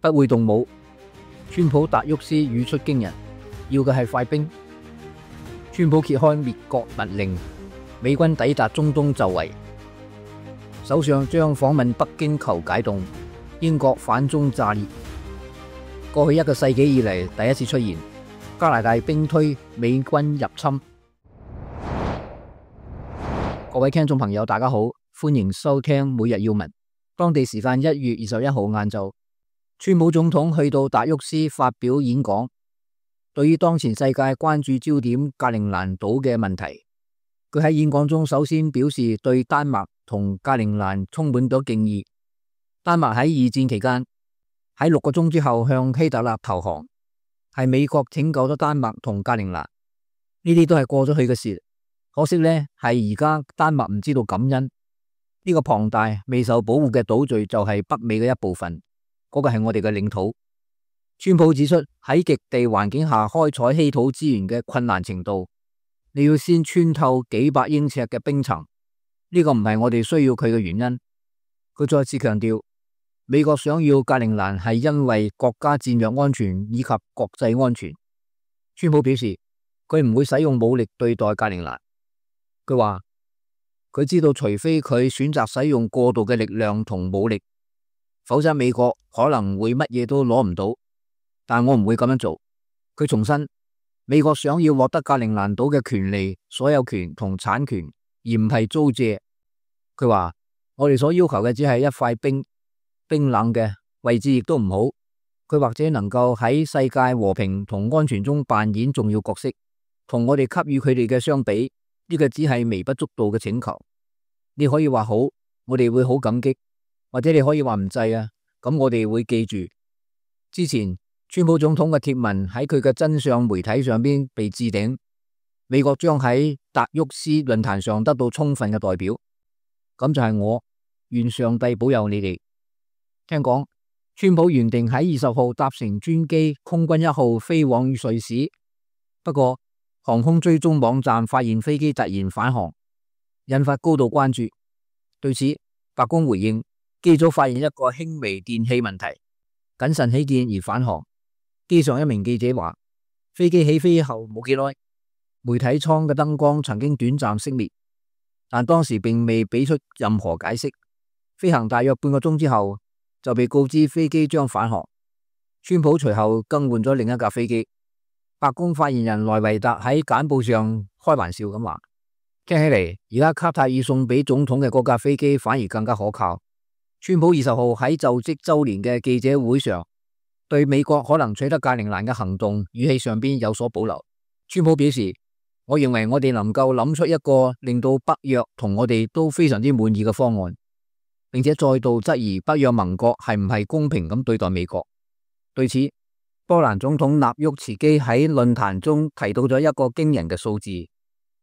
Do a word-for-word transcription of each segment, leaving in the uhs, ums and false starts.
不會動武。川普達沃斯語出驚人，要嘅係快兵。川普揭開滅國密令，美軍抵達中東就位。首相將訪問北京求解凍，英國反中炸裂。過去一個世紀以嚟第一次出現，加拿大兵推美軍入侵。各位聽眾朋友大家好，歡迎收聽每日要聞。當地時間一月二十一號晏晝，川普總統去到達沃斯發表演講，對於當前世界關注焦點格陵蘭島嘅問題，佢喺演講中首先表示對丹麥同格陵蘭充滿咗敬意。丹麥喺二戰期間喺六個鐘之後向希特勒投降，係美國拯救咗丹麥同格陵蘭，呢啲都係過咗去嘅事。可惜呢，係而家丹麥唔知道感恩。呢個龐大未受保護嘅島嶼就係北美嘅一部分，嗰個係我哋嘅領土。川普指出，喺極地環境下開採稀土資源嘅困難程度，你要先穿透幾百英尺嘅冰層，呢個唔係我哋需要佢嘅原因。佢再次強調，美國想要格陵蘭係因為國家戰略安全以及國際安全。川普表示，佢唔會使用武力對待格陵蘭。佢話佢知道，除非佢選擇使用過度嘅力量同武力，否則美國可能會乜嘢都攞唔到。但我唔會咁樣做。佢重申，美國想要獲得格陵蘭島嘅權利、所有權同產權，而唔係租借。佢話我哋所要求嘅只係一塊冰，冰冷嘅位置亦都唔好。佢或者能夠喺世界和平同安全中扮演重要角色，同我哋給予佢哋嘅相比，呢個只係微不足道嘅請求。你可以話好，我哋會好感激，或者你可以話唔制啊，咁我哋會記住。之前川普總統嘅貼文喺佢嘅真相媒體上邊被置頂，美國將喺達沃斯論壇上得到充分嘅代表。咁就係我，願上帝保佑你哋。聽講川普原定喺二十號搭乘專機空軍一號飛往瑞士，不過航空追蹤網站發現飛機突然返航，引發高度關注。對此，白宮回應，機組發現一個輕微電氣問題，謹慎起見而返航。機上一名記者話，飛機起飛後冇幾耐，媒體艙嘅燈光曾經短暫熄滅，但當時並未俾出任何解釋。飛行大約半個鐘之後，就被告知飛機將返航。川普隨後更換咗另一架飛機。白宮發言人萊維特喺簡報上開玩笑咁話，聽起嚟而家卡塔爾送俾總統嘅嗰架飛機反而更加可靠。川普二十號喺就職周年嘅記者會上，對美國可能取得格陵蘭嘅行動語氣上邊有所保留。川普表示，我認為我哋能夠諗出一個令到北約同我哋都非常之滿意嘅方案，並且再度質疑北約盟國係唔係公平咁對待美國。對此，波蘭總統納沃茨基喺論壇中提到咗一個驚人嘅數字，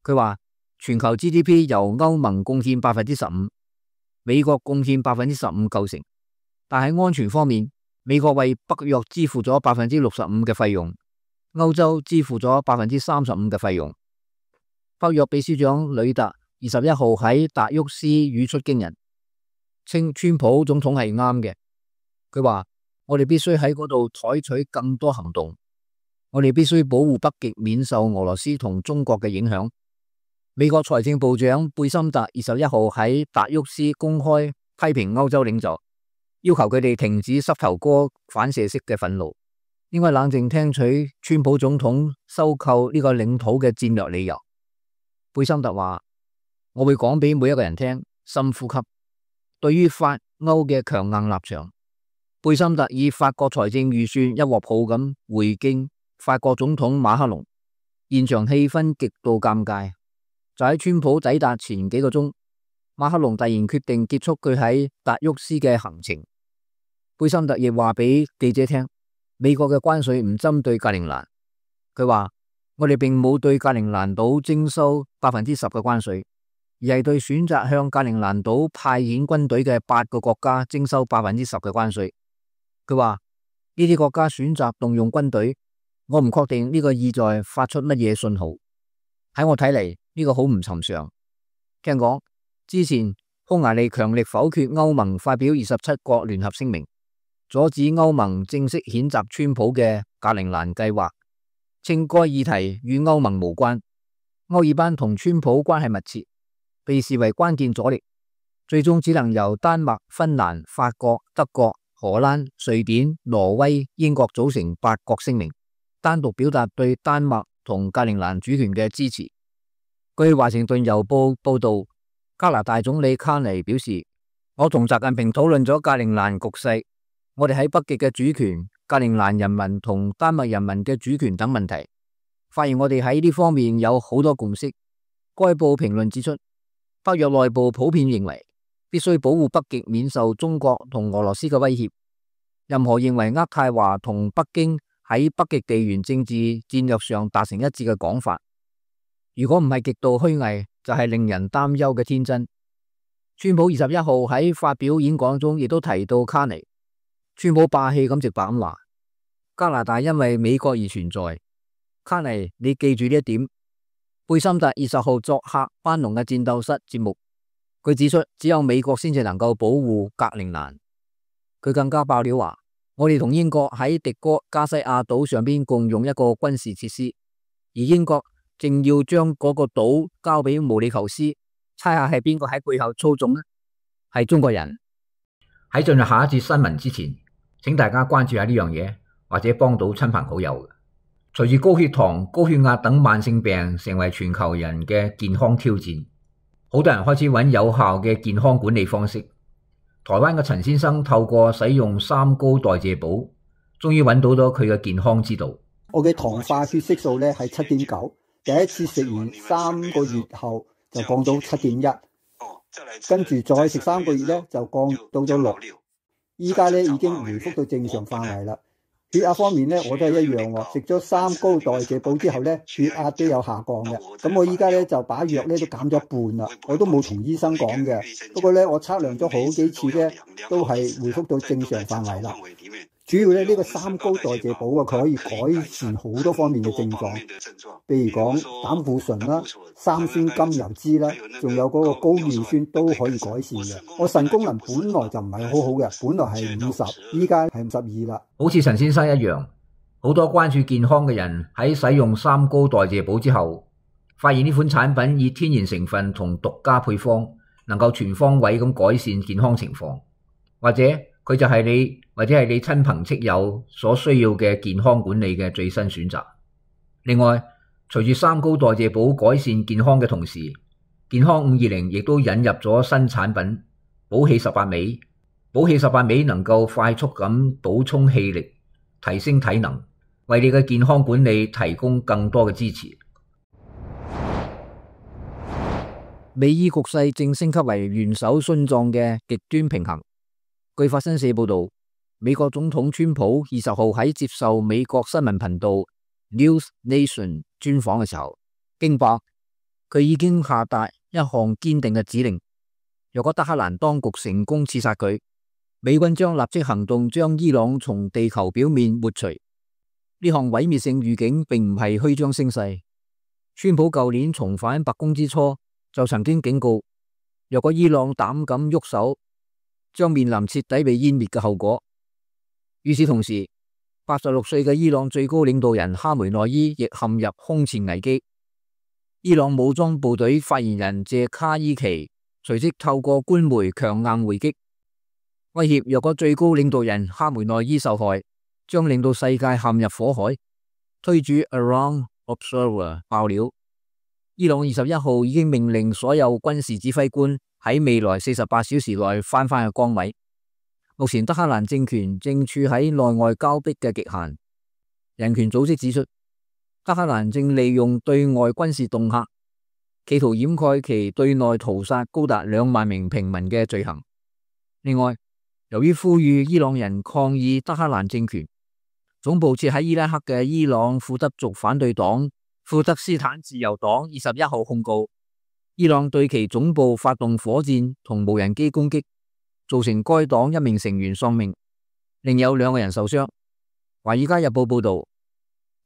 佢話全球 G D P 由歐盟貢獻百分之十五，美國貢獻百分之十五構成，但喺安全方面，美國為北約支付咗百分之六十五嘅費用，歐洲支付咗百分之三十五嘅費用。北約秘書長呂特二十一號喺達沃斯語出驚人，稱川普總統係啱嘅。佢話我哋必須喺嗰度採取更多行動，我哋必須保護北極免受俄羅斯同中國嘅影響。美國財政部長貝森特二十一號喺達沃斯公開批評歐洲領袖，要求佢哋停止膝頭哥反射式嘅憤怒，應該冷靜聽取川普總統收購呢個領土嘅戰略理由。貝森特話，我會講俾每一個人聽，深呼吸。對於法歐嘅強硬立場，貝森特以法國財政預算一鑊泡咁回敬法國總統馬克龍，現場氣氛極度尷尬。就喺川普抵達前幾個鐘，馬克龍突然決定結束佢喺達沃斯嘅行程。貝森特亦話俾記者聽，美國嘅關稅唔針對格陵蘭。佢話我哋並冇對格陵蘭島徵收百分之十嘅關稅，而係對選擇向格陵蘭島派遣軍隊嘅八個國家徵收百分之十嘅關稅。佢話呢啲國家選擇動用軍隊，我唔確定呢個意在發出乜嘢信號。喺我睇嚟，呢個好唔尋常。聽講之前匈牙利強力否決歐盟發表二十七國聯合聲明，阻止歐盟正式譴責川普嘅格陵蘭計劃，稱該議題與歐盟無關。歐爾班同川普關係密切，被視為關鍵阻力，最終只能由丹麥、芬蘭、法國、德國、荷蘭、瑞典、挪威、英國組成八國聲明，單獨表達對丹麥同格陵蘭主權嘅支持。據華盛頓郵報報道，加拿大總理卡尼表示，我同習近平討論咗格陵蘭局勢，我哋喺北極嘅主權、格陵蘭人民同丹麥人民嘅主權等問題，發現我哋喺呢方面有好多共識。該報評論指出，北約內部普遍認為必須保護北極免受中國同俄羅斯嘅威脅。任何認為渥太華同北京喺北極地緣政治戰略上達成一致嘅講法，如果唔係極度虛偽，就係令人擔憂嘅天真。川普二十一號喺發表演講中亦都提到卡尼，川普霸氣咁直白咁話：加拿大因為美國而存在。卡尼，你記住呢一點。貝森特二十號作客班農嘅戰鬥室節目，佢指出只有美國先至能夠保護格陵蘭。佢更加爆料話：我哋同英國喺迪哥加西亞島上邊共用一個軍事設施，而英國正要將嗰個島交俾毛里求斯，猜下係邊個喺背後操縱呢？係中國人。喺進入下一節新聞之前，請大家關注下呢樣嘢，或者幫到親朋好友。隨住高血糖、高血壓等慢性病成為全球人嘅健康挑戰，好多人開始揾有效嘅健康管理方式。台灣嘅陳先生透過使用三高代謝寶，終於揾到咗佢嘅健康之道。我嘅糖化血色素咧係七點九，第一次食完三個月後就降到七點一，跟住再食三個月咧就降到咗六，依家咧已經回復到正常範圍啦。血壓方面咧，我都係一樣喎。食咗三高代謝寶之後咧，血壓都有下降嘅。咁我依家咧就把藥咧都減咗半啦。我都冇同醫生講嘅，不過咧我測量咗好幾次咧，都係回復到正常範圍啦。主要咧呢個三高代謝寶啊，佢可以改善好多方面嘅症狀，譬如講膽固醇啦、三酸甘油酯啦，仲有嗰個高尿酸都可以改善嘅。我腎功能本來就唔係好好嘅，本來係五十，依家係五十二啦。好似陳先生一樣，好多關注健康嘅人喺使用三高代謝寶之後，發現呢款產品以天然成分同獨家配方，能夠全方位咁改善健康情況，或者佢就係你或者係你親朋戚友所需要嘅健康管理嘅最新選擇。另外，隨住三高代謝寶改善健康嘅同時，健康五二零亦都引入咗新產品補氣十八味。補氣十八味能夠快速咁補充氣力，提升體能，為你嘅健康管理提供更多嘅支持。美伊局勢正升級為元首殉葬嘅極端平衡。據法新社報道，美國總統川普二十號喺接受美國新聞頻道 News Nation 專訪嘅時候，驚爆佢已經下達一項堅定嘅指令：若果德黑蘭當局成功刺殺佢，美軍將立即行動將伊朗從地球表面抹除。呢項毀滅性預警並唔係虛張聲勢。川普舊年重返白宮之初就曾經警告，若果伊朗膽敢喐手，將面臨徹底被湮滅嘅後果。與此同時，八十六歲嘅伊朗最高領導人哈梅內伊亦陷入空前危機。伊朗武裝部隊發言人謝卡伊奇隨即透過官媒強硬回擊，威脅若果最高領導人哈梅內伊受害，將令到世界陷入火海。推主 Around Observer 爆料，伊朗二十一號已經命令所有軍事指揮官喺未來四十八小時內翻返去崗位。目前德黑蘭政權正處喺內外交迫嘅極限。人權組織指出，德黑蘭正利用對外軍事恫嚇，企圖掩蓋其對內屠殺高達兩萬名平民嘅罪行。另外，由於呼籲伊朗人抗議德黑蘭政權，總部設喺伊拉克嘅伊朗庫德族反對黨庫德斯坦自由黨二十一號控告，伊朗對其總部發動火箭同無人機攻擊，造成該黨一名成員喪命，另有兩個人受傷。華爾街日報報道，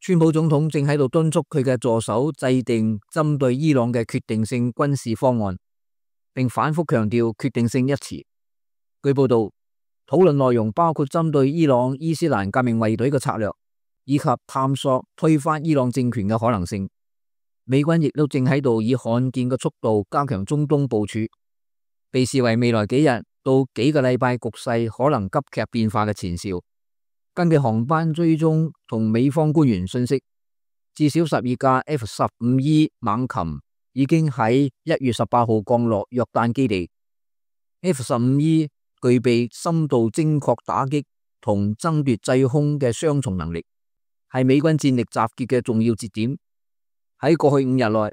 川普總統正喺度敦促佢嘅助手制定針對伊朗嘅決定性軍事方案，並反覆強調決定性一詞。據報道，討論內容包括針對伊朗伊斯蘭革命衛隊嘅策略，以及探索推翻伊朗政權嘅可能性。美軍亦都正喺度以罕見嘅速度加強中東部署，被視為未來幾日到幾個禮拜局勢可能急劇變化嘅前兆。根據航班追蹤同美方官員信息，至少十二架 F 十五 E 猛禽已經喺一月十八號降落約旦基地。F 十五 E 具備深度精確打擊同爭奪制空嘅雙重能力，係美軍戰力集結嘅重要節點。喺過去五日內，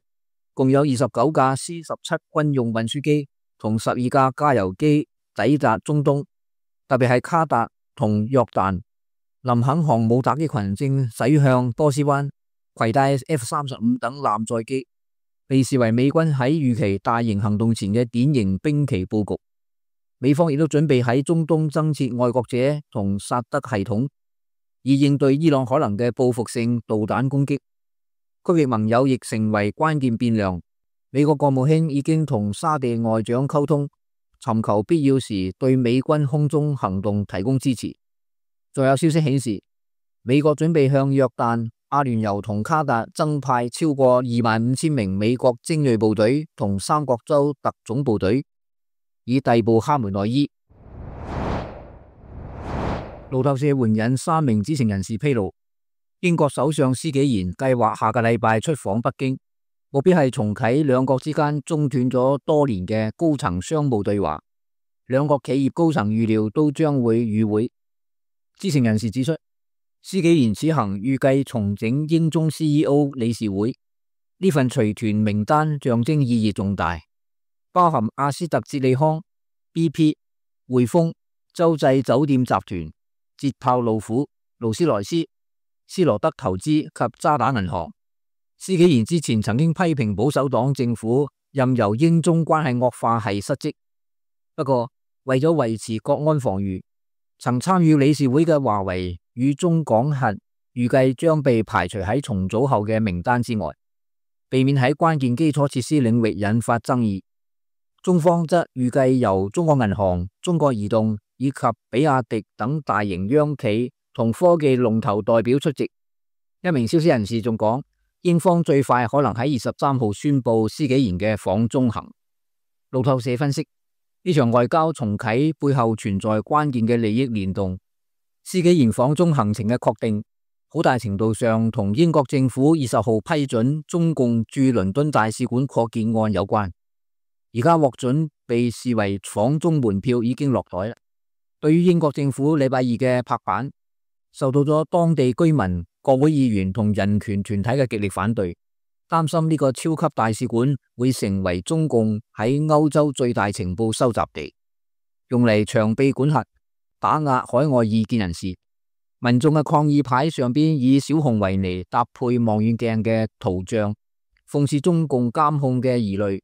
共有二十九架 C 十七軍用運輸機同十二架加油機抵達中東，特別係卡達同約旦。林肯航母打擊群正駛向波斯灣，攜帶 F 三十五等艦載機，被視為美軍喺預期大型行動前嘅典型兵棋佈局。美方亦都準備喺中東增設愛國者同薩德系統，以應對伊朗可能嘅報復性導彈攻擊。區域盟友亦成為關鍵變量。美國國務卿已經同沙地外長溝通，尋求必要時對美軍空中行動提供支持。仲有消息顯示，美國準備向約旦、阿聯酋同卡達增派超過二萬五千名美國精銳部隊同三角洲特種部隊，以逮捕哈梅內伊。路透社援引三名知情人士披露，英國首相施紀賢計劃下個禮拜出訪北京，目標係重啟兩國之間中斷咗多年嘅高層商務對話。兩國企業高層預料都將會與會。知情人士指出，施紀賢此行預計重整英中 C E O 理事會，呢份隨團名單象徵意義重大，包含阿斯特捷利康、B P、匯豐、洲際酒店集團、捷豹路虎、勞斯萊斯、斯羅德投資及渣打銀行。施紀賢之前曾經批評保守黨政府任由英中關係惡化係失職，不過為咗維持國安防禦，曾參與理事會嘅華為與中港核預計將被排除喺重組後嘅名單之外，避免喺關鍵基礎設施領域引發爭議。中方則預計由中國銀行、中國移動以及比亞迪等大型央企同科技龍頭代表出席。一名消息人士仲講，英方最快可能喺二十三號宣布施紀賢嘅訪中行。路透社分析，呢場外交重啟背後存在關鍵嘅利益聯動。施紀賢訪中行程嘅確定，好大程度上同英國政府二十號批准中共駐倫敦大使館擴建案有關。而家獲准被視為訪中門票已經落袋啦。對於英國政府禮拜二嘅拍板，受到咗當地居民、國會議員同人權團體嘅極力反對，擔心呢個超級大使館會成為中共喺歐洲最大情報收集地，用嚟長臂管轄、打壓海外異見人士。民眾嘅抗議牌上邊以小熊維尼搭配望遠鏡嘅圖像，諷刺中共監控嘅疑慮。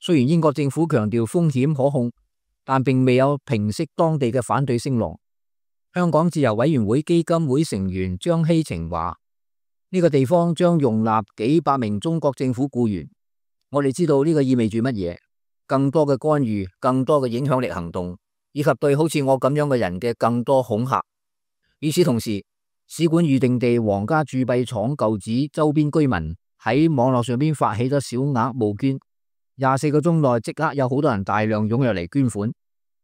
雖然英國政府強調風險可控，但並未有平息當地嘅反對聲浪。香港自由委員會基金會成員張希晴話：呢個地方將容納幾百名中國政府僱員，我哋知道呢個意味住乜嘢，更多嘅干預、更多嘅影響力行動，以及對好似我咁樣嘅人嘅更多恐嚇。與此同時，使館預定地皇家鑄幣廠舊址周邊居民喺網絡上邊發起咗小額募捐，廿四個鐘內即刻有好多人大量踴躍嚟捐款。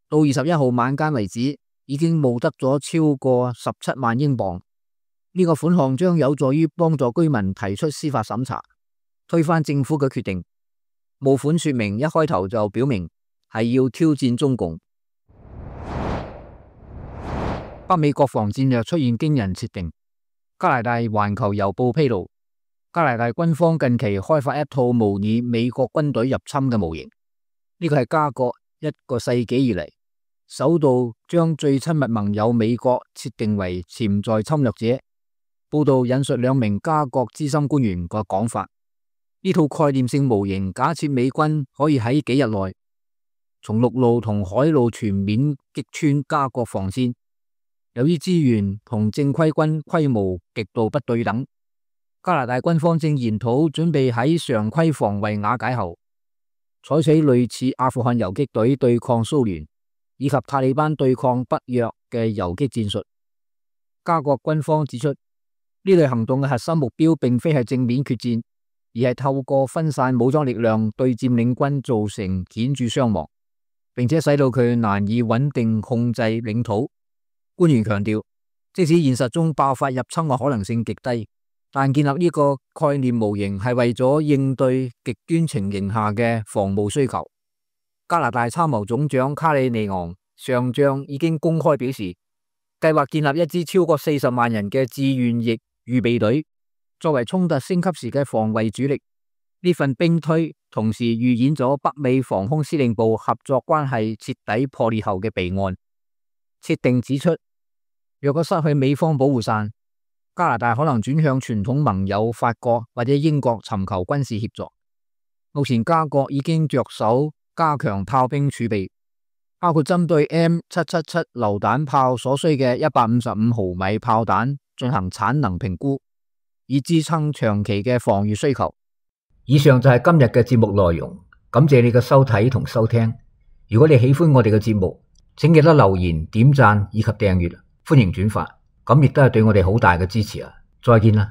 到二十一號晚間為止，已經募得咗超過十七萬英鎊。呢個款項將有助於幫助居民提出司法審查，推翻政府嘅決定。募款說明一開頭就表明係要挑戰中共。北美國防戰略出現驚人設定。加拿大環球郵報披露，加拿大軍方近期開發一套模擬美國軍隊入侵嘅模型。呢個係加國一個世紀以嚟首度將最親密盟友美國設定為潛在侵略者。報道引述兩名加國資深官員嘅講法，呢套概念性模型假設美軍可以喺幾日內從陸路同海路全面擊穿加國防線。由於資源同正規軍規模極度不對等，加拿大軍方正研討準備喺常規防衛瓦解後，採取類似阿富汗游擊隊對抗蘇聯，以及塔利班對抗北約嘅游擊戰術。加國軍方指出，呢類行動嘅核心目標並非係正面決戰，而係透過分散武裝力量對佔領軍造成顯著傷亡，並且使到佢難以穩定控制領土。官員強調，即使現實中爆發入侵嘅可能性極低，但建立呢個概念模型係為咗應對極端情形下嘅防務需求。加拿大參謀總長卡里尼昂上將已經公開表示，計劃建立一支超過四十萬人嘅志願役預備隊，作為衝突升級時嘅防衛主力。呢份兵推同時預演咗北美防空司令部合作關係徹底破裂後嘅備案。設定指出，若果失去美方保護傘，加拿大可能轉向傳統盟友法國或者英國尋求軍事協助。目前加國已經着手加強炮兵儲備，包括針對 M 七七七 榴彈炮所需嘅一百五十五毫米炮彈進行產能評估，以支撐長期嘅防禦需求。以上就係今日嘅節目內容，感謝你嘅收睇同收聽。如果你喜歡我哋嘅節目，請記得留言、點讚以及訂閱，歡迎轉發，咁亦都係對我哋好大嘅支持啊！再見啦！